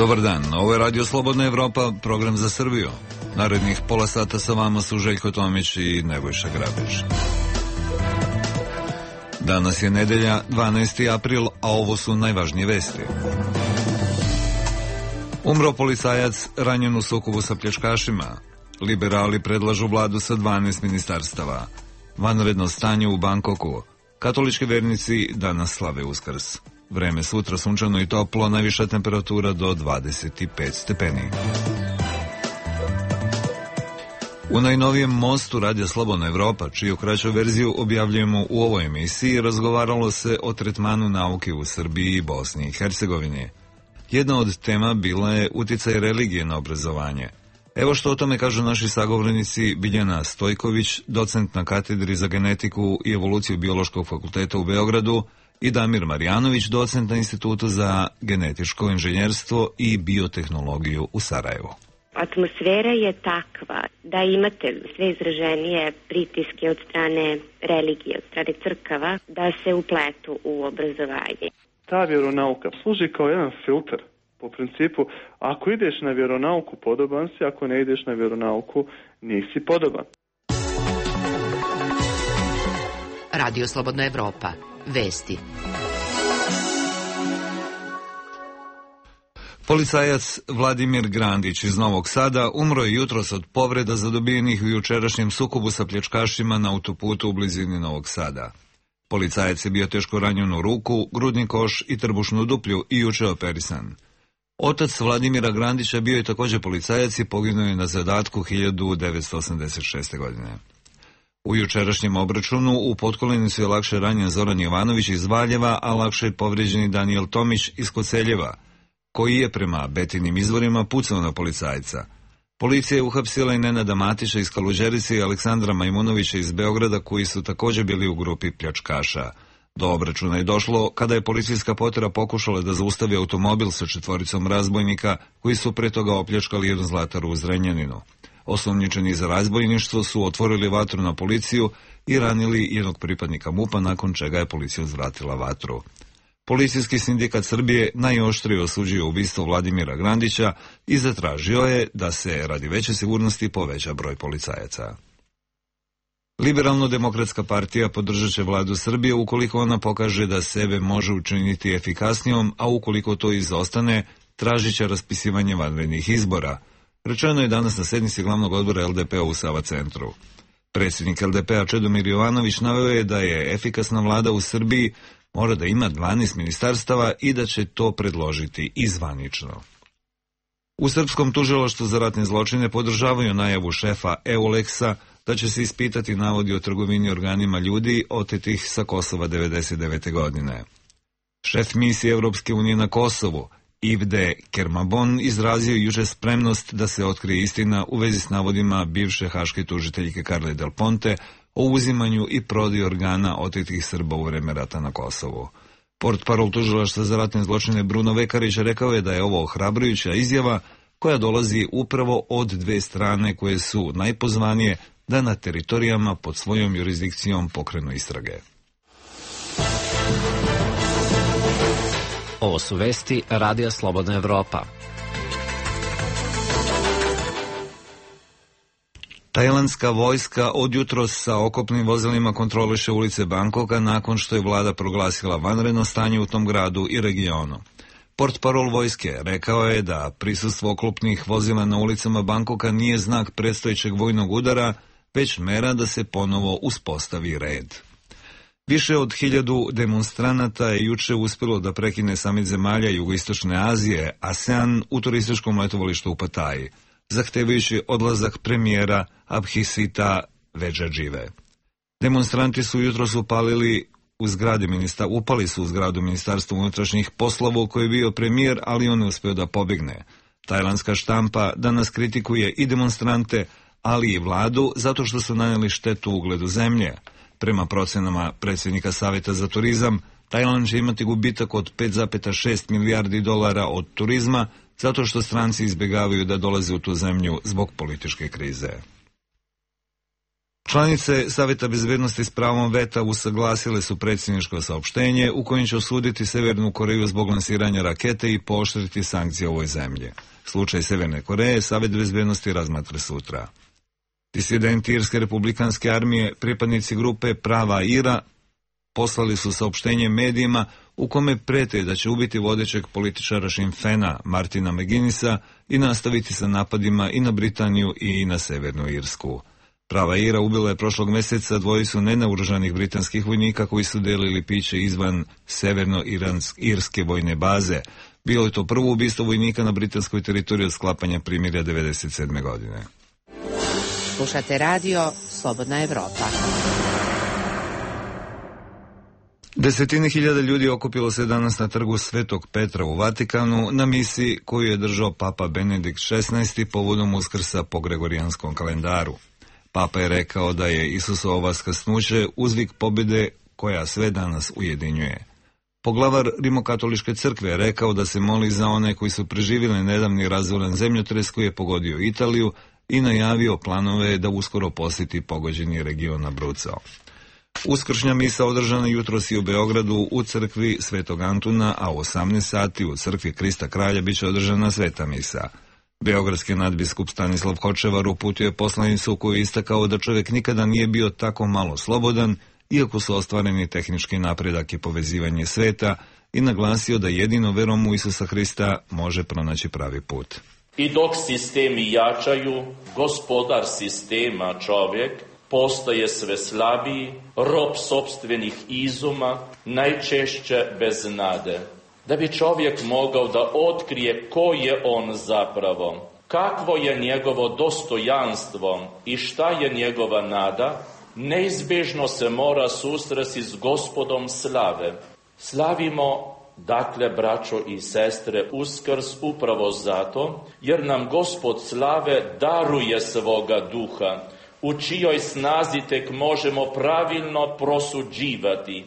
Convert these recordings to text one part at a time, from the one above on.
Dobar dan, ovo je Radio Slobodna Evropa, program za Srbiju. Narednih pola sata sa vama su Željko Tomić i Nebojša Grabić. Danas je nedelja, 12. april, a ovo su najvažnije vesti. Umro policajac ranjen u sukobu sa pljačkašima. Liberali predlažu vladu sa 12 ministarstava. Vanredno stanje u Bankoku. Katolički vernici danas slave Uskrs. Vreme sutra sunčano i toplo, najviša temperatura do 25 stepeni. U najnovijem mostu Radija Slobodna Evropa, čiju kraću verziju objavljujemo u ovoj emisiji, razgovaralo se o tretmanu nauke u Srbiji i Bosni i Hercegovini. Jedna od tema bila je uticaj religije na obrazovanje. Evo što o tome kažu naši sagovornici Biljana Stojković, docent na katedri za genetiku i evoluciju Biološkog fakulteta u Beogradu, i Damir Marjanović, docent na Institutu za genetičko inženjerstvo i biotehnologiju u Sarajevu. Atmosfera je takva da imate sve izraženije pritiske od strane religije, od strane crkava, da se upletu u obrazovanje. Ta vjeronauka služi kao jedan filter. Po principu, ako ideš na vjeronauku, podoban si, ako ne ideš na vjeronauku, nisi podoban. Radio Slobodna Evropa. Vesti. Policajac Vladimir Grandić iz Novog Sada umro je jutros od povreda zadobijenih u jučerašnjem sukobu sa pljačkašima na autoputu u blizini Novog Sada. Policajac je bio teško ranjen u ruku, grudni koš i trbušnu duplju i juče operisan. Otac Vladimira Grandića bio je također policajac i poginuo je na zadatku 1986. godine. U jučerašnjem obračunu u potkolenicu je lakše ranjen Zoran Jovanović iz Valjeva, a lakše je povrijeđeni Danijel Tomić iz Koceljeva, koji je prema Betinim izvorima pucao na policajca. Policija je uhapsila i Nenada Matića iz Kaluđerice i Aleksandra Majmunovića iz Beograda, koji su također bili u grupi pljačkaša. Do obračuna je došlo kada je policijska potera pokušala da zaustavi automobil sa 4 razbojnika koji su pre toga opljačkali jednu zlataru u Zrenjaninu. Osumnjičeni za razbojništvo su otvorili vatru na policiju i ranili jednog pripadnika MUP-a, nakon čega je policija uzvratila vatru. Policijski sindikat Srbije najoštrije osuđuje ubistvo Vladimira Grandića i zatražio je da se radi veće sigurnosti poveća broj policajaca. Liberalno-demokratska partija podržat će vladu Srbije ukoliko ona pokaže da sebe može učiniti efikasnijom, a ukoliko to izostane, tražit će raspisivanje vanrednih izbora. Rečeno je danas na sednici glavnog odbora LDP-a u Sava centru. Predsjednik LDP-a Čedomir Jovanović naveo je da je efikasna vlada u Srbiji mora da ima 12 ministarstava i da će to predložiti i zvanično. U Srpskom tužilaštvu za ratne zločine podržavaju najavu šefa EULEX-a da će se ispitati navodi o trgovini organima ljudi otetih sa Kosova 1999. godine. Šef misije Evropske unije na Kosovu, Ivde Kermabon, izrazio juče spremnost da se otkrije istina u vezi s navodima bivše haške tužiteljke Karle Del Ponte o uzimanju i prodaju organa otetih Srba u vreme rata na Kosovu. Portparol tužilaštva za ratne zločine Bruno Vekarić rekao je da je ovo ohrabrujuća izjava koja dolazi upravo od dve strane koje su najpozvanije da na teritorijama pod svojom jurisdikcijom pokrenu istrage. Ovo su vesti Radija Slobodna Evropa. Tajlandska vojska od jutros sa okopnim vozilima kontroliše ulice Bankoka nakon što je vlada proglasila vanredno stanje u tom gradu i regionu. Portparol vojske rekao je da prisustvo oklopnih vozila na ulicama Bankoka nije znak predstojećeg vojnog udara, već mera da se ponovo uspostavi red. Više od 1000 demonstranata je juče uspjelo da prekine samit zemalja Jugoistočne Azije, ASEAN, u turističkom letovalištu u Pataji, zahtevajući odlazak premijera Abhisita Vedžadžive. Demonstranti su jutros upali su u zgradu Ministarstva unutrašnjih poslova u kojoj je bio premijer, ali on je uspio da pobegne. Tajlandska štampa danas kritikuje i demonstrante, ali i vladu zato što su nanijeli štetu ugledu zemlje. Prema procenama predsjednika Savjeta za turizam, Tajland će imati gubitak od 5,6 milijardi dolara od turizma zato što stranci izbjegavaju da dolaze u tu zemlju zbog političke krize. Članice Saveta bezbednosti s pravom veta usaglasile su predsjedničko saopštenje u kojem će osuditi Severnu Koreju zbog lansiranja rakete i pooštriti sankcije ovoj zemlji. Slučaj Severne Koreje Savet bezbednosti razmatra sutra. Disidenti Irske republikanske armije, pripadnici grupe Prava Ira, poslali su saopštenje medijima u kome prete da će ubiti vodećeg političara Sinn Féina Martina McGuinnessa i nastaviti sa napadima i na Britaniju i na Severnu Irsku. Prava Ira ubila je prošlog mjeseca dvojicu nenaoružanih britanskih vojnika koji su delili piće izvan severno-irske vojne baze. Bilo je to prvo ubistvo vojnika na britanskoj teritoriji od sklapanja primirja 1997. godine. Slušate radio Slobodna Evropa. Desetine hiljada ljudi okupilo se danas na trgu Svetog Petra u Vatikanu na misiji koju je držao Papa Benedikt XVI povodom Uskrsa po Gregorijanskom kalendaru. Papa je rekao da je Isusovo vaskrsnuće uzvik pobjede koja sve danas ujedinjuje. Poglavar Rimokatoličke crkve je rekao da se moli za one koji su preživjeli nedavni razoran zemljotres koji je pogodio Italiju i najavio planove da uskoro posjeti pogođeni region Abruzzo. Uskršnja misa održana jutros i u Beogradu u crkvi Svetog Antuna, a u 18 sati u crkvi Krista Kralja biće održana sveta misa. Beogradski nadbiskup Stanislav Hočevar uputio je poslanicu koju je istakao da čovjek nikada nije bio tako malo slobodan, iako su ostvareni tehnički napredak i povezivanje sveta, i naglasio da jedino verom u Isusa Hrista može pronaći pravi put. I dok sistemi jačaju, gospodar sistema čovjek postaje sve slabiji, rob sopstvenih izuma, najčešće bez nade. Da bi čovjek mogao da otkrije ko je on zapravo, kakvo je njegovo dostojanstvo i šta je njegova nada, neizbježno se mora susresti s Gospodom slave. Slavimo, dakle, braćo i sestre, Uskrs upravo zato, jer nam Gospod slave daruje svoga duha, u čijoj snazi tek možemo pravilno prosuđivati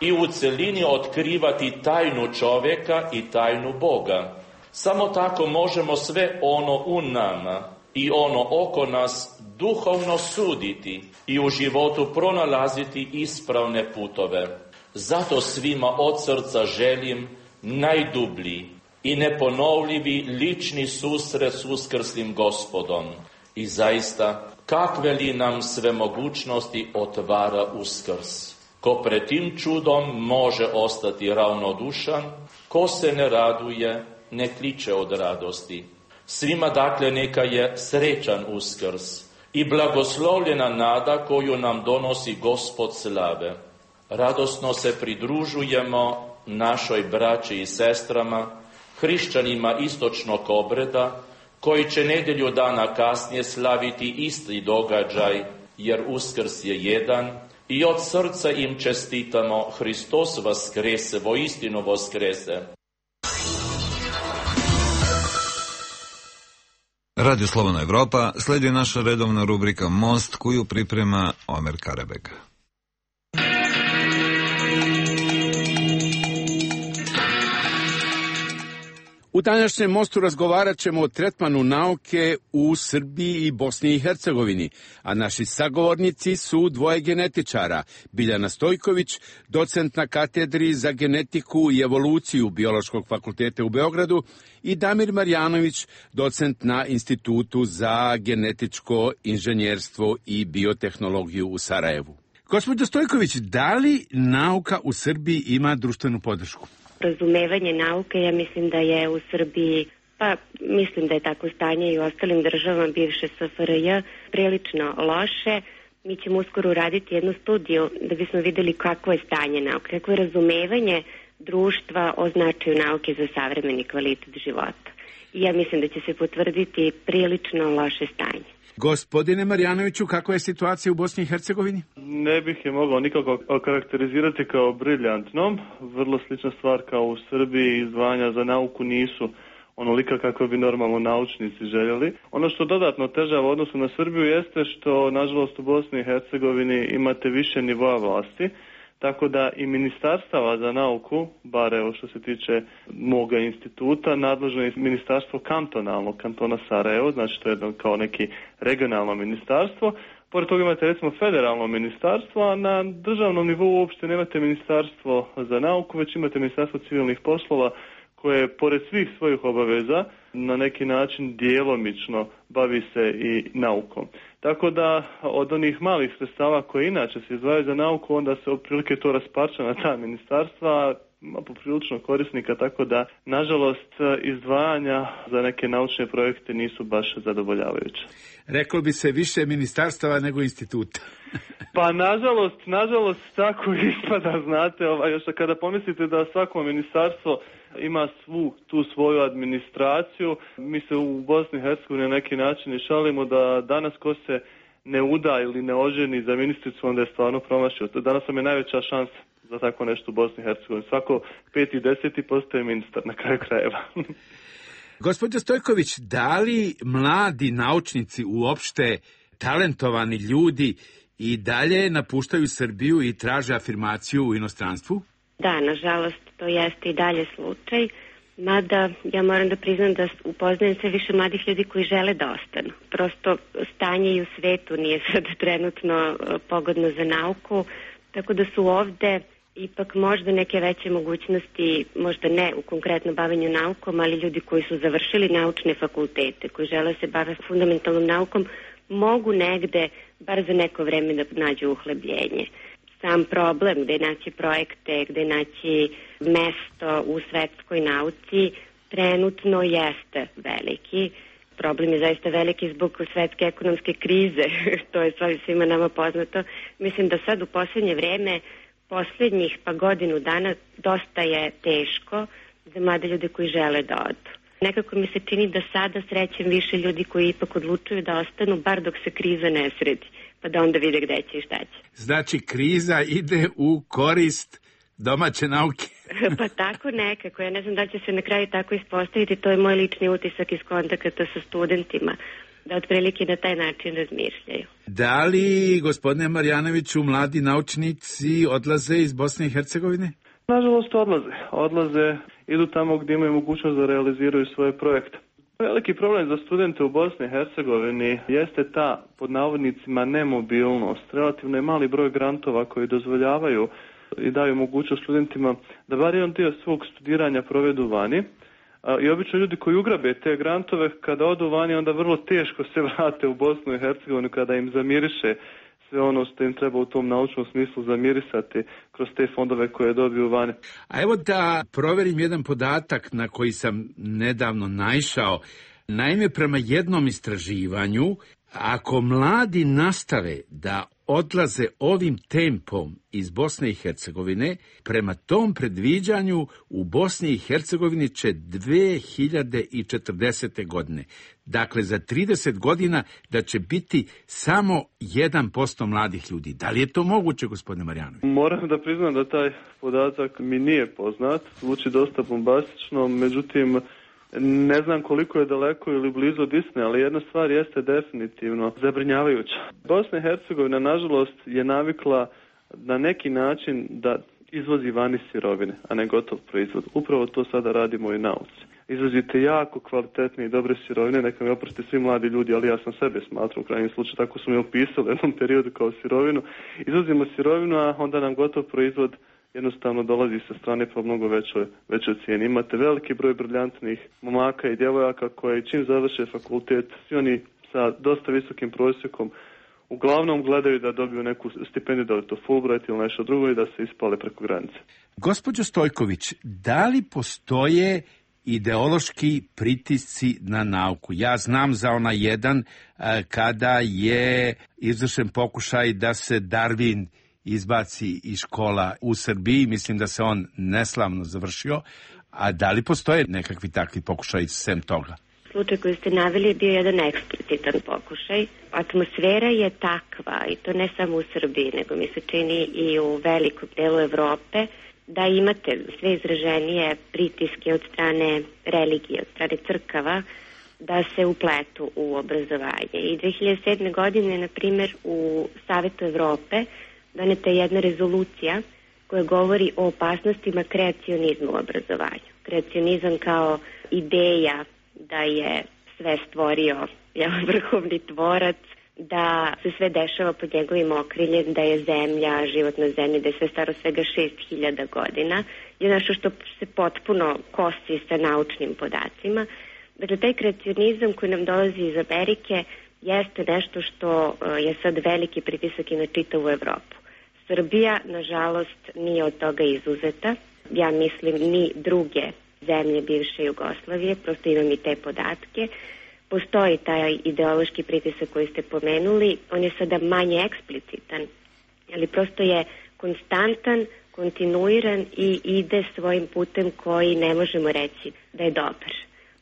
i u celini otkrivati tajnu čovjeka i tajnu Boga. Samo tako možemo sve ono u nama i ono oko nas duhovno suditi i u životu pronalaziti ispravne putove. Zato svima od srca želim najdublji i neponovljivi lični susret s uskrslim Gospodom. I zaista, kakve li nam sve mogućnosti otvara Uskrs. Ko pred tim čudom može ostati ravnodušan, ko se ne raduje, ne kliče od radosti. Svima dakle neka je srećan Uskrs i blagoslovljena nada koju nam donosi Gospod slave. Radosno se pridružujemo našoj braći i sestrama, hrišćanima istočnog obreda, koji će nedjelju dana kasnije slaviti isti događaj, jer Uskrs je jedan, i od srca im čestitamo Hristos vaskrese, voistinu vaskrese. Radio Slobodna Evropa, slijedi naša redovna rubrika Most koju priprema Omer Karabeg. U današnjem mostu razgovarat ćemo o tretmanu nauke u Srbiji i Bosni i Hercegovini, a naši sagovornici su dvoje genetičara, Biljana Stojković, docent na katedri za genetiku i evoluciju Biološkog fakulteta u Beogradu, i Damir Marjanović, docent na Institutu za genetičko inženjerstvo i biotehnologiju u Sarajevu. Gospođo Stojković, da li nauka u Srbiji ima društvenu podršku? Razumevanje nauke, ja mislim da je u Srbiji, pa mislim da je tako stanje i u ostalim državama bivše SFRJ, prilično loše. Mi ćemo uskoro uraditi jednu studiju da bismo vidjeli kakvo je stanje nauke, kakvo je razumevanje društva o značaju nauke za savremeni kvalitet života. I ja mislim da će se potvrditi prilično loše stanje. Gospodine Marjanoviću, kakva je situacija u Bosni i Hercegovini? Ne bih je mogao nikako okarakterizirati kao briljantnom. Vrlo slična stvar kao u Srbiji, izdvajanja za nauku nisu onolika kako bi normalno naučnici željeli. Ono što dodatno otežava u odnosu na Srbiju jeste što, nažalost, u Bosni i Hercegovini imate više nivoa vlasti. tako da i ministarstava za nauku, bar evo što se tiče moga instituta, nadležno je ministarstvo kantonalno, kantona Sarajevo, znači to je kao neki regionalno ministarstvo. Pored toga imate recimo federalno ministarstvo, a na državnom nivou uopšte nemate ministarstvo za nauku, već imate ministarstvo civilnih poslova koje pored svih svojih obaveza na neki način djelomično bavi se i naukom. Tako da od onih malih sredstava koje inače se izdvajaju za nauku, onda se otprilike to rasparča na ta ministarstva, ima poprilično korisnika, tako da nažalost izdvajanja za neke naučne projekte nisu baš zadovoljavajuće. Reklo bi se više ministarstava nego instituta. Pa nažalost tako ispada, znate, još kada pomislite da svako ministarstvo ima svu tu svoju administraciju, mi se u Bosni i Hercegovini na neki način i šalimo da danas ko se ne uda ili ne oženi za ministricu, onda je stvarno promašio. Danas nam je najveća šansa za tako nešto u Bosni i Hercegovini. Svako 5. i 10. postaje ministar na kraju krajeva. Gospođo Stojković, da li mladi naučnici uopšte talentovani ljudi i dalje napuštaju Srbiju i traže afirmaciju u inostranstvu? Da, nažalost, to jeste i dalje slučaj. Mada ja moram da priznam da upoznajem sve više mladih ljudi koji žele da ostanu. Prosto stanje i u svetu nije sad trenutno pogodno za nauku, tako da su ovde ipak možda neke veće mogućnosti, možda ne u konkretno bavenju naukom, ali ljudi koji su završili naučne fakultete, koji žele se baviti fundamentalnom naukom, mogu negde, bar za neko vreme, da nađu uhlebljenje. Sam problem gde naći projekte, gde naći mesto u svetskoj nauci trenutno jeste veliki. Problem je zaista veliki zbog svetske ekonomske krize, to je svima nama poznato. Mislim da sad u posljednje vreme, posljednjih godinu dana, dosta je teško za mlade ljude koji žele da odu. Nekako mi se čini da sada srećem više ljudi koji ipak odlučuju da ostanu, bar dok se kriza ne sredi, pa da onda vide gde će i šta će. Znači, kriza ide u korist domaće nauke. Pa tako nekako, ja ne znam da će se na kraju tako ispostaviti, to je moj lični utisak iz kontakta sa studentima, da otprilike na taj način razmišljaju. Da li, gospodine Marjanoviću, mladi naučnici odlaze iz Bosne i Hercegovine? Nažalost odlaze, idu tamo gdje imaju mogućnost da realiziraju svoje projekte. Veliki problem za studente u Bosni i Hercegovini jeste ta, pod navodnicima, nemobilnost. Relativno je mali broj grantova koji dozvoljavaju i daju mogućnost studentima da bar jedan dio svog studiranja provedu vani. I obično ljudi koji ugrabe te grantove, kada odu vani, onda vrlo teško se vrate u Bosnu i Hercegovinu kada im zamiriše sve ono što im treba u tom naučnom smislu zamirisati kroz te fondove koje dobiju vani. A evo da proverim jedan podatak na koji sam nedavno naišao. Naime, prema jednom istraživanju, ako mladi nastave da odlaze ovim tempom iz Bosne i Hercegovine, prema tom predviđanju u Bosni i Hercegovini će 2040. godine, dakle za 30 godina, da će biti samo 1% mladih ljudi. Da li je to moguće, gospodine Marjanović? Moram da priznam da taj podatak mi nije poznat, zvuči dosta bombastično, međutim ne znam koliko je daleko ili blizu od istine, ali jedna stvar jeste definitivno zabrinjavajuća. Bosna i Hercegovina, nažalost, je navikla na neki način da izvozi vani sirovine, a ne gotov proizvod. Upravo to sada radimo i nauci. Izvozite jako kvalitetne i dobre sirovine, neka mi oproste svi mladi ljudi, ali ja sam sebe smatrao u krajnjem slučaju, tako su mi opisali u jednom periodu kao sirovinu. Izvozimo sirovinu, a onda nam gotov proizvod jednostavno dolazi sa strane po mnogo većoj cijeni. Imate veliki broj briljantnih momaka i djevojaka koji čim završe fakultet, svi oni sa dosta visokim prosjekom, uglavnom gledaju da dobiju neku stipendiju, da je to Fulbright ili nešto drugo i da se ispale preko granice. Gospođo Stojković, da li postoje ideološki pritisci na nauku? Ja znam za onaj jedan kada je izvršen pokušaj da se Darwin izbaci iz škola u Srbiji, mislim da se on neslavno završio, a da li postoje nekakvi takvi pokušaj sem toga? Slučaj koji ste naveli je bio jedan eksplicitan pokušaj. Atmosfera je takva, i to ne samo u Srbiji, nego mi se čini i u velikom delu Evrope, da imate sve izraženije pritiske od strane religije, od strane crkava, da se upletu u obrazovanje. I 2007. godine, na primjer, u Savetu Evrope doneta je jedna rezolucija koje govori o opasnostima kreacionizma u obrazovanju. Kreacionizam kao ideja da je sve stvorio vrhovni tvorac, da se sve dešava pod njegovim okriljem, da je zemlja, život na zemlji, da je sve staro svega 6000 godina, je nešto što se potpuno kosi sa naučnim podacima. Dakle, taj kreacionizam koji nam dolazi iz Amerike jeste nešto što je sad veliki pritisak i na čitavu Evropu. Srbija, nažalost, nije od toga izuzeta. Ja mislim ni druge zemlje bivše Jugoslavije, prosto imam i te podatke. Postoji taj ideološki pritisak koji ste pomenuli, on je sada manje eksplicitan, ali prosto je konstantan, kontinuiran i ide svojim putem koji ne možemo reći da je dobar.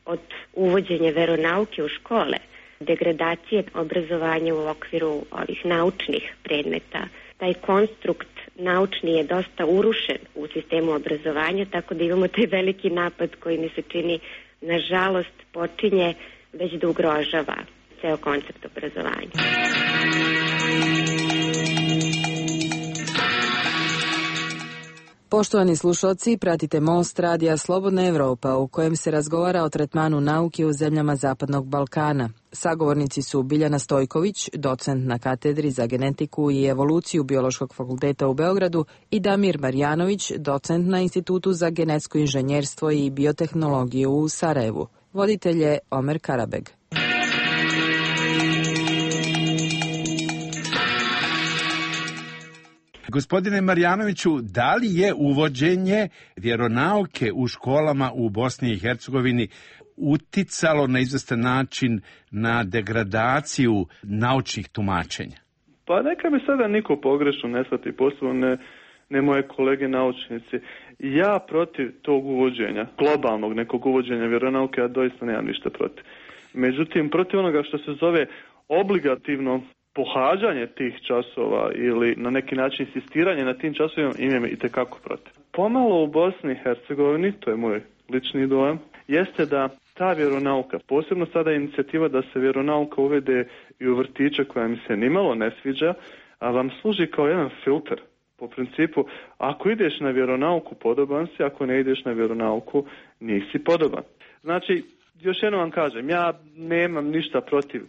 Od uvođenja veronauke u škole, degradacije obrazovanja u okviru ovih naučnih predmeta, taj konstrukt naučni je dosta urušen u sistemu obrazovanja, tako da imamo taj veliki napad koji mi se čini, nažalost, počinje već da ugrožava ceo koncept obrazovanja. Poštovani slušalci, pratite Most radija Slobodna Evropa u kojem se razgovara o tretmanu nauke u zemljama Zapadnog Balkana. Sagovornici su Biljana Stojković, docent na katedri za genetiku i evoluciju Biološkog fakulteta u Beogradu, i Damir Marjanović, docent na Institutu za genetsko inženjerstvo i biotehnologiju u Sarajevu. Voditelj je Omer Karabeg. Gospodine Marjanoviću, da li je uvođenje vjeronauke u školama u Bosni i Hercegovini uticalo na izvestan način na degradaciju naučnih tumačenja? Pa neka mi sada niko pogrešno ne shvati, posebno ne moje kolege naučnici. Ja protiv tog uvođenja, globalnog nekog uvođenja vjeronauke, ja doista nemam ništa protiv. Međutim, protiv onoga što se zove obligativno pohađanje tih časova ili na neki način insistiranje na tim časovima imam itekako protiv. Pomalo u Bosni i Hercegovini, to je moj lični dojam, jeste da ta vjeronauka, posebno sada inicijativa da se vjeronauka uvede i u vrtiće koja mi se nimalo ne sviđa, a vam služi kao jedan filter. Po principu, ako ideš na vjeronauku, podoban si, ako ne ideš na vjeronauku, nisi podoban. Znači, još jednom vam kažem, ja nemam ništa protiv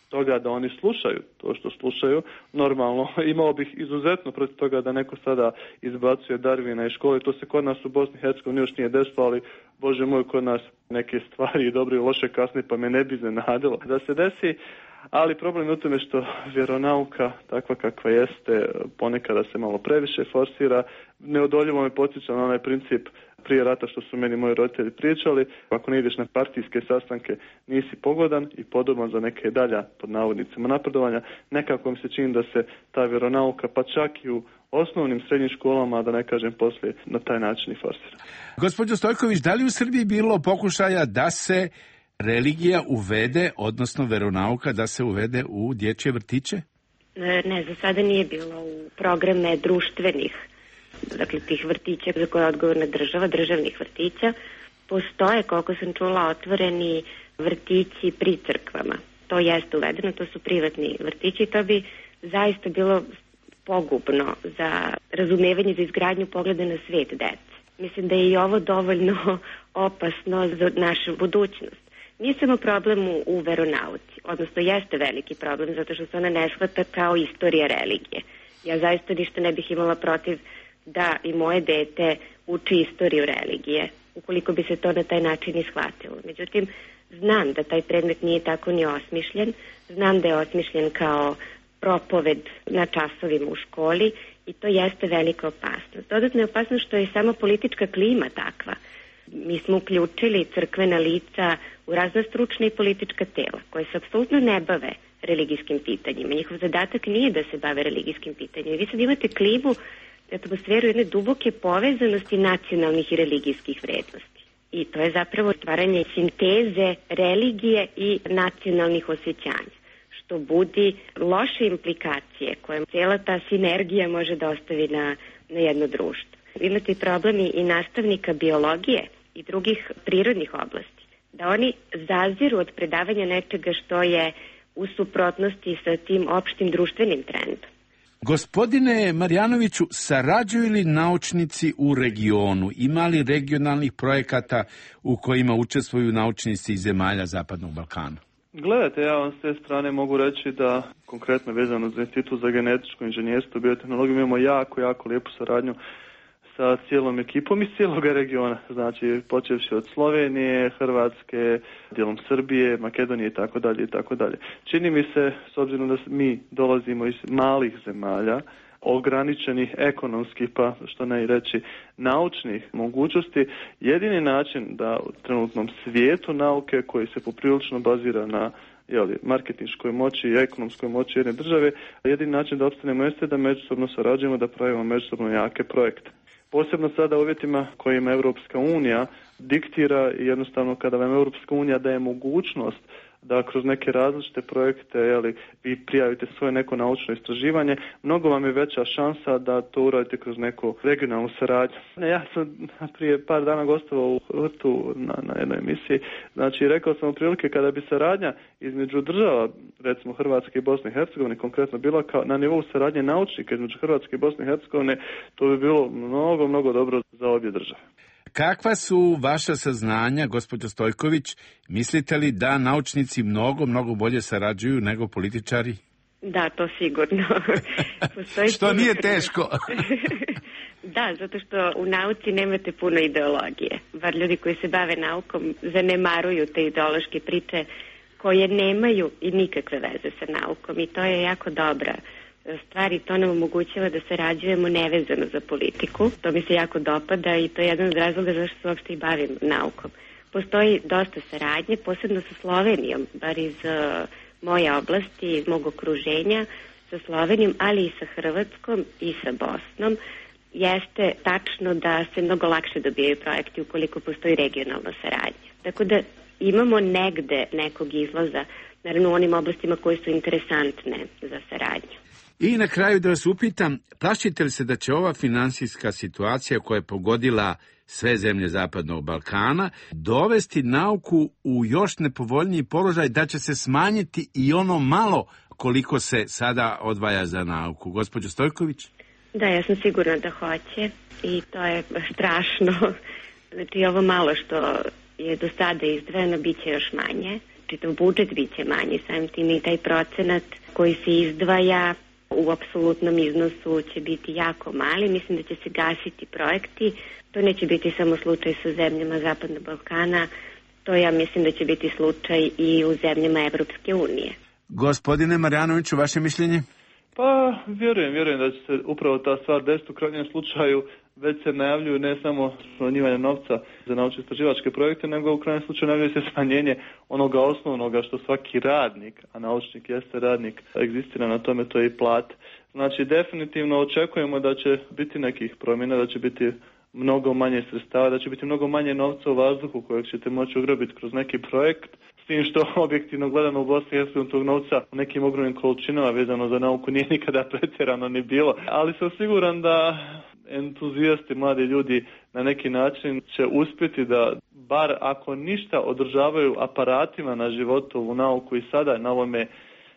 toga da oni slušaju to što slušaju. Normalno, imao bih izuzetno protiv toga da neko sada izbacuje Darwina iz škole. To se kod nas u Bosni i Hercegovini još nije desilo, ali Bože moj, kod nas neke stvari i dobre i loše kasne, pa me ne bi iznenadilo da se desi. Ali problem je u tome što vjeronauka, takva kakva jeste, ponekada se malo previše forsira. Neodoljivo me podsjeća na onaj princip prije rata što su meni moji roditelji pričali. Ako ne ideš na partijske sastanke, nisi pogodan i podoban za neke dalja, pod navodnicima, napredovanja. Nekako mi se čini da se ta vjeronauka, pa čak i u osnovnim srednjim školama, da ne kažem poslije, na taj način i forsira. Gospođo Stojković, da li u Srbiji bilo pokušaja da se religija uvede, odnosno veronauka da se uvede u dječje vrtiće? Ne, za sada nije bilo u programe društvenih, dakle tih vrtića za koje je odgovorna država, državnih vrtića. Postoje, koliko sam čula, otvoreni vrtići pri crkvama. To jeste uvedeno, to su privatni vrtići i to bi zaista bilo pogubno za razumevanje, za izgradnju pogleda na svijet dece. Mislim da je i ovo dovoljno opasno za našu budućnost. Nije samo problem u veronauci, odnosno jeste veliki problem zato što se ona ne shvata kao istorija religije. Ja zaista ništa ne bih imala protiv da i moje dete uči istoriju religije, ukoliko bi se to na taj način ishvatilo. Međutim, znam da taj predmet nije tako ni osmišljen, znam da je osmišljen kao propoved na časovima u školi i to jeste velika opasnost. Dodatno je opasnost što je samo politička klima takva. Mi smo uključili crkvena lica u razna stručna i politička tela koje se apsolutno ne bave religijskim pitanjima. Njihov zadatak nije da se bave religijskim pitanjima. Vi sad imate klimu, atmosferu jedne duboke povezanosti nacionalnih i religijskih vrednosti. I to je zapravo stvaranje sinteze religije i nacionalnih osjećanja, što budi loše implikacije koje cijela ta sinergija može da ostavi na jedno društvo. Imate problemi i nastavnika biologije i drugih prirodnih oblasti, da oni zaziru od predavanja nečega što je u suprotnosti sa tim opštim društvenim trendom. Gospodine Marjanoviću, sarađuju li naučnici u regionu? Ima li regionalnih projekata u kojima učestvuju naučnici iz zemalja Zapadnog Balkana? Gledajte, ja vam s te strane mogu reći da konkretno vezano za Institut za genetičko inženjerstvo i biotehnologiju imamo jako lijepu saradnju sa cijelom ekipom iz cijeloga regiona, znači počevši od Slovenije, Hrvatske, dijelom Srbije, Makedonije i tako dalje. Čini mi se, s obzirom da mi dolazimo iz malih zemalja, ograničenih ekonomskih, pa što ne i reći naučnih mogućnosti, jedini način da u trenutnom svijetu nauke koji se poprilično bazira na marketinškoj moći i ekonomskoj moći jedne države, jedini način da opstanemo jeste da međusobno sarađujemo, da pravimo međusobno jake projekte. Posebno sada u uvjetima kojima Europska unija diktira i jednostavno kada vam Europska unija daje mogućnost da kroz neke različite projekte vi prijavite svoje neko naučno istraživanje, mnogo vam je veća šansa da to uradite kroz neku regionalnu saradnju. Ja sam prije par dana gostovao u Hrtu na jednoj emisiji, znači rekao sam otprilike kada bi saradnja između država, recimo Hrvatske i Bosne i Hercegovine konkretno bila na nivou saradnje naučnika između Hrvatske i Bosne i Hercegovine, to bi bilo mnogo dobro za obje države. Kakva su vaša saznanja, gospođo Stojković? Mislite li da naučnici mnogo bolje sarađuju nego političari? Da, to sigurno. Što nije teško. Da, zato što u nauci nemate puno ideologije. Bar ljudi koji se bave naukom zanemaruju te ideološke priče koje nemaju i nikakve veze sa naukom i to je jako dobra stvari, to nam omogućava da sarađujemo nevezano za politiku. To mi se jako dopada i to je jedan od razloga zašto se uopšte i bavim naukom. Postoji dosta saradnje, posebno sa Slovenijom, bar iz moje oblasti, iz mog okruženja, sa Slovenijom, ali i sa Hrvatskom i sa Bosnom. Jeste tačno da se mnogo lakše dobijaju projekti ukoliko postoji regionalna saradnja. Tako da imamo negde nekog izlaza, naravno u onim oblastima koje su interesantne za saradnju. I na kraju da vas upitam, plašite li se da će ova finansijska situacija koja je pogodila sve zemlje Zapadnog Balkana dovesti nauku u još nepovoljniji položaj, da će se smanjiti i ono malo koliko se sada odvaja za nauku? Gospođo Stojković? Da, ja sam sigurna da hoće i to je strašno. Znači ovo malo što je do sada izdvojeno bit će još manje. Čitav budžet bit će manji, samim tim i taj procenat koji se izdvaja u apsolutnom iznosu će biti jako mali. Mislim da će se gasiti projekti. To neće biti samo slučaj sa zemljama Zapadnog Balkana. To ja mislim da će biti slučaj i u zemljama Evropske unije. Gospodine Marjanoviću, vaše mišljenje? Pa, vjerujem da će se upravo ta stvar desiti u krajnjem slučaju. Već se najavljuju ne samo smanjivanje novca za naučno-istraživačke projekte, nego u krajnjem slučaju najavljuje se smanjenje onoga osnovnoga što svaki radnik, a naučnik jeste radnik, egzistira na tome, to je i plat. Znači, definitivno očekujemo da će biti nekih promjena, da će biti mnogo manje sredstava, da će biti mnogo manje novca u vazduhu kojeg ćete moći ugrabiti kroz neki projekt. S tim što objektivno gledano u Bosni i Hercegovini tog novca u nekim ogromnim količinama vezano za nauku nije nikada pretjerano ni bilo. Ali sam siguran da entuzijasti, mladi ljudi na neki način će uspjeti da, bar ako ništa, održavaju aparatima na životovu nauku i sada na ovome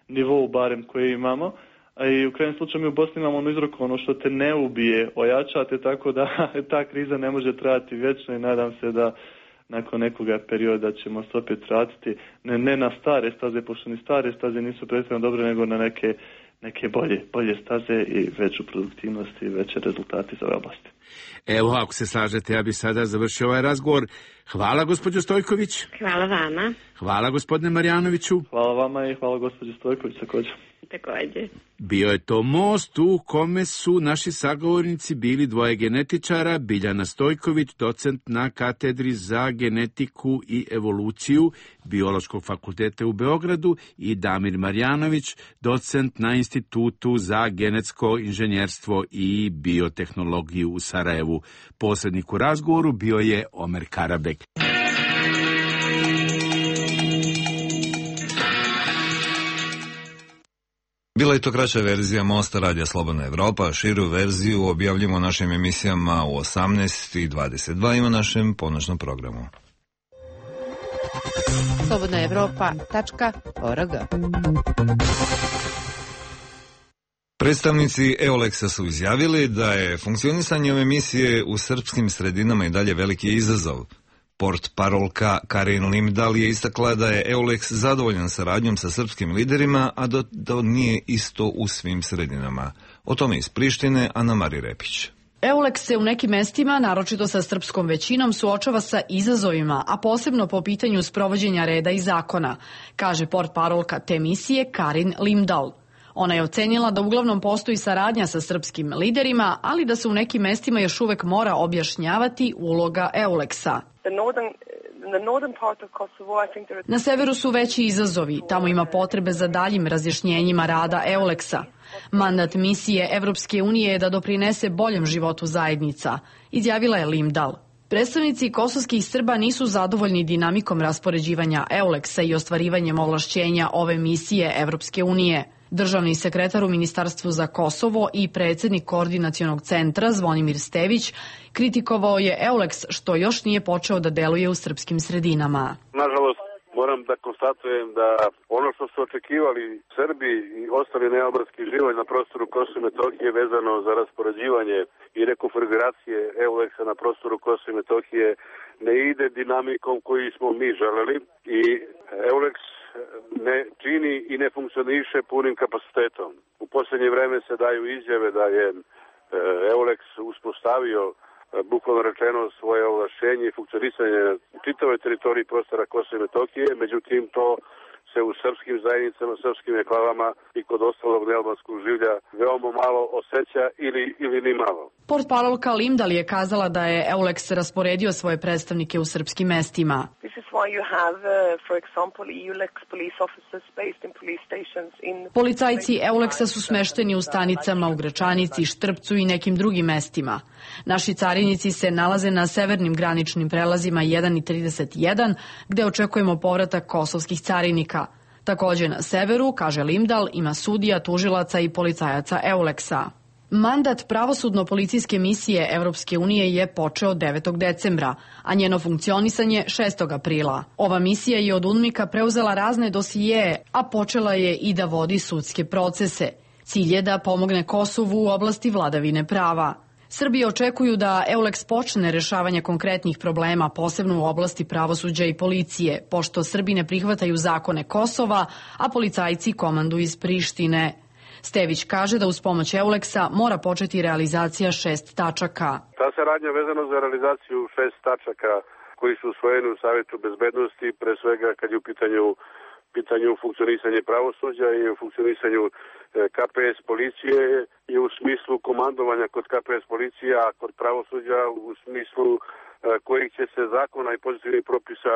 nivou barem koje imamo. A i u krajnjem slučaju mi u Bosni imamo ono izreku, ono što te ne ubije, ojačate, tako da ta kriza ne može trajati vječno i nadam se da nakon nekoga perioda ćemo se opet vratiti ne na stare staze, pošto ni stare staze nisu pretjerano dobre, nego na neke bolje staze i veću produktivnost i veće rezultate za ove oblasti. Evo, ako se slažete, ja bih sada završio ovaj razgovor. Hvala, gospođo Stojković. Hvala vama. Hvala, gospodine Marjanoviću. Hvala vama i hvala, gospođo Stojković, također. Bio je to most u kome su naši sagovornici bili dvoje genetičara, Biljana Stojković, docent na katedri za genetiku i evoluciju Biološkog fakulteta u Beogradu, i Damir Marjanović, docent na Institutu za genetsko inženjerstvo i biotehnologiju u Sarajevu. Posrednik u razgovoru bio je Omer Karabek. Bila je to kraća verzija Mosta Radija Slobodna Evropa, širu verziju objavljamo našim emisijama u 18:22 i u našem ponoćnom programu. slobodnaevropa.org Predstavnici EULEX-a su izjavili da je funkcionisanje ove misije u srpskim sredinama i dalje veliki izazov. Portparolka Karin Limdal je istakla da je EULEX zadovoljan saradnjom sa srpskim liderima, a da to nije isto u svim sredinama. O tome iz Prištine Ana Mari Repić. EULEX se u nekim mestima, naročito sa srpskom većinom, suočava sa izazovima, a posebno po pitanju sprovođenja reda i zakona, kaže portparolka te misije Karin Limdal. Ona je ocenila da uglavnom postoji saradnja sa srpskim liderima, ali da se u nekim mestima još uvek mora objašnjavati uloga EULEX-a. Na severu su veći izazovi, tamo ima potrebe za daljim razjašnjenjima rada EULEX-a. Mandat misije Evropske unije je da doprinese boljem životu zajednica, izjavila je Limdal. Predstavnici kosovskih Srba nisu zadovoljni dinamikom raspoređivanja EULEX-a i ostvarivanjem ovlašćenja ove misije Evropske unije. Državni sekretar u Ministarstvu za Kosovo i predsjednik Koordinacionog centra Zvonimir Stević kritikovao je EULEX što još nije počeo da deluje u srpskim sredinama. Nažalost, moram da konstatujem da ono što su očekivali Srbi i ostali nealbanski živoj na prostoru Kosova i Metohije vezano za raspoređivanje i rekonfiguracije EULEX-a na prostoru Kosova i Metohije ne ide dinamikom koju smo mi želeli i EULEX ne čini i ne funkcioniše punim kapacitetom. U posljednje vreme se daju izjave da je EULEX uspostavio bukvalno rečeno svoje ovlašćenje i funkcionisanje u čitavoj teritoriji prostora Kosova i Metohije, međutim to se u srpskim zajednicama, srpskim enklavama i kod ostalog nealbanskog življa veoma malo osjeća ili ni malo. Portparolka Limdal je kazala da je EULEX rasporedio svoje predstavnike u srpskim mestima. Policajci EULEX-a su smešteni u stanicama u Gračanici, Štrpcu i nekim drugim mestima. Naši carinici se nalaze na severnim graničnim prelazima 1 i 31, gde očekujemo povratak kosovskih carinika. Također na severu, kaže Limdal, ima sudija, tužilaca i policajaca EULEX-a. Mandat pravosudno-policijske misije Evropske unije je počeo 9. decembra, a njeno funkcionisanje 6. aprila. Ova misija je od UNMIK-a preuzela razne dosijeje, a počela je i da vodi sudske procese. Cilj je da pomogne Kosovu u oblasti vladavine prava. Srbi očekuju da EULEX počne rešavanje konkretnih problema, posebno u oblasti pravosuđa i policije, pošto Srbi ne prihvataju zakone Kosova, a policajci komandu iz Prištine. Stević kaže da uz pomoć EULEX-a mora početi realizacija 6 tačaka. Ta saradnja vezana za realizaciju 6 tačaka koji su usvojeni u Savjetu bezbednosti, pre svega kad je u pitanju funkcionisanje pravosuđa i u funkcionisanju KPS policije i u smislu komandovanja kod KPS policije, a kod pravosuđa u smislu kojih će se zakona i pozitivnih propisa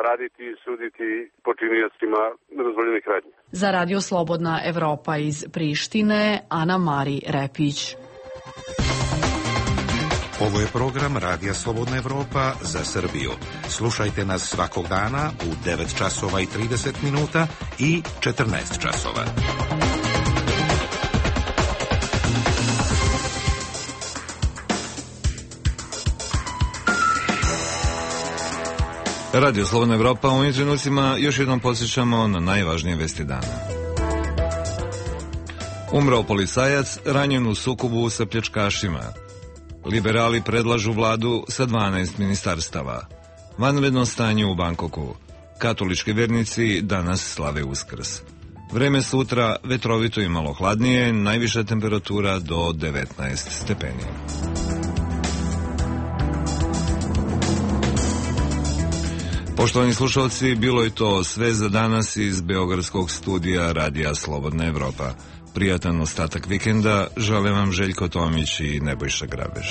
raditi i suditi počiniocima nedozvoljenih radnji. Za Radio Slobodna Evropa iz Prištine, Ana Mari Repić. Ovo je program Radija Slobodna Evropa za Srbiju. Slušajte nas svakog dana u 9 časova i 30 minuta i 14 časova. Radio Slobodna Evropa, u ovim trenucima još jednom podsjećamo na najvažnije vesti dana. Umrao policajac ranjen u sukobu sa pljačkašima. Liberali predlažu vladu sa 12 ministarstava. Vanredno stanje u Bankoku. Katolički vernici danas slave Uskrs. Vreme sutra vetrovito i malo hladnije, najviša temperatura do 19 stepeni. Poštovani slušalci, bilo je to sve za danas iz Beogradskog studija Radija Slobodna Evropa. Prijatan ostatak vikenda žele vam Željko Tomić i Nebojša Grabež.